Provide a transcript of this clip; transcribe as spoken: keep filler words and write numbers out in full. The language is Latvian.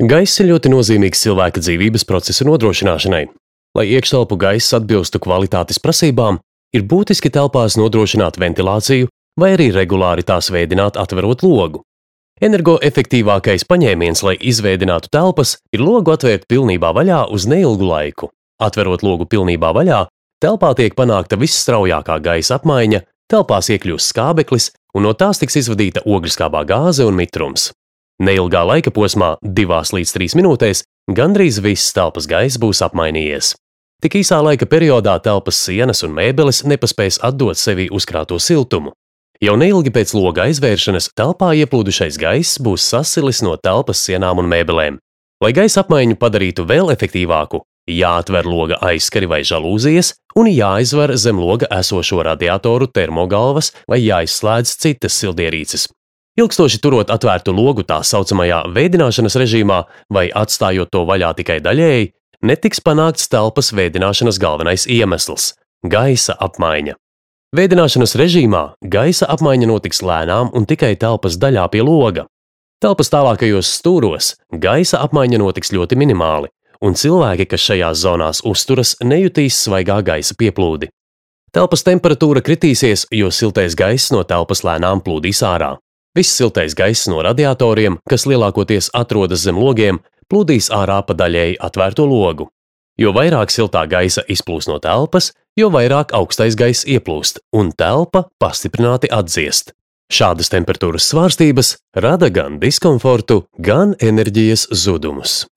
Gaiss ir ļoti nozīmīgs cilvēka dzīvības procesa nodrošināšanai. Lai iekštelpu gaiss atbilstu kvalitātes prasībām, ir būtiski telpās nodrošināt ventilāciju vai arī regulāri tās veidināt atverot logu. Energoefektīvākais paņēmiens, lai izveidinātu telpas, ir logu atvērt pilnībā vaļā uz neilgu laiku. Atverot logu pilnībā vaļā, telpā tiek panākta visstraujākā gaisa apmaiņa, telpās iekļūst skābeklis un no tās tiks izvadīta ogleskābā gāze un mitrums. Neilgā laika posmā, divās līdz trīs minūtēs, gandrīz viss telpas gaiss būs apmainījies. Tik īsā laika periodā telpas sienas un mēbeles nepaspēs atdot sevi uzkrāto siltumu. Jau neilgi pēc loga aizvēršanas telpā ieplūdušais gaiss būs sasilis no telpas sienām un mēbelēm. Lai gaisa apmaiņu padarītu vēl efektīvāku, jāatver loga aizskari vai žalūzijas un jāizver zem loga esošo radiatoru termogalvas vai jāizslēdz citas sildierīces. Ilgstoši turot atvērtu logu tā saucamajā vēdināšanas režīmā vai atstājot to vaļā tikai daļēji, netiks panākts telpas vēdināšanas galvenais iemesls – gaisa apmaiņa. Vēdināšanas režīmā gaisa apmaiņa notiks lēnām un tikai telpas daļā pie loga. Telpas tālākajos stūros gaisa apmaiņa notiks ļoti minimāli, un cilvēki, kas šajās zonās uzturas, nejutīs svaigā gaisa pieplūdi. Telpas temperatūra kritīsies, jo siltais gaiss no telpas lēnām plūdīs ārā. Viss siltais gaiss no radiatoriem, kas lielākoties atrodas zem logiem, plūdīs ārā pa daļēji atvērto logu. Jo vairāk siltā gaisa izplūst no telpas, jo vairāk augstais gaiss ieplūst, un telpa pastiprināti atdziest. Šādas temperatūras svārstības rada gan diskomfortu, gan enerģijas zudumus.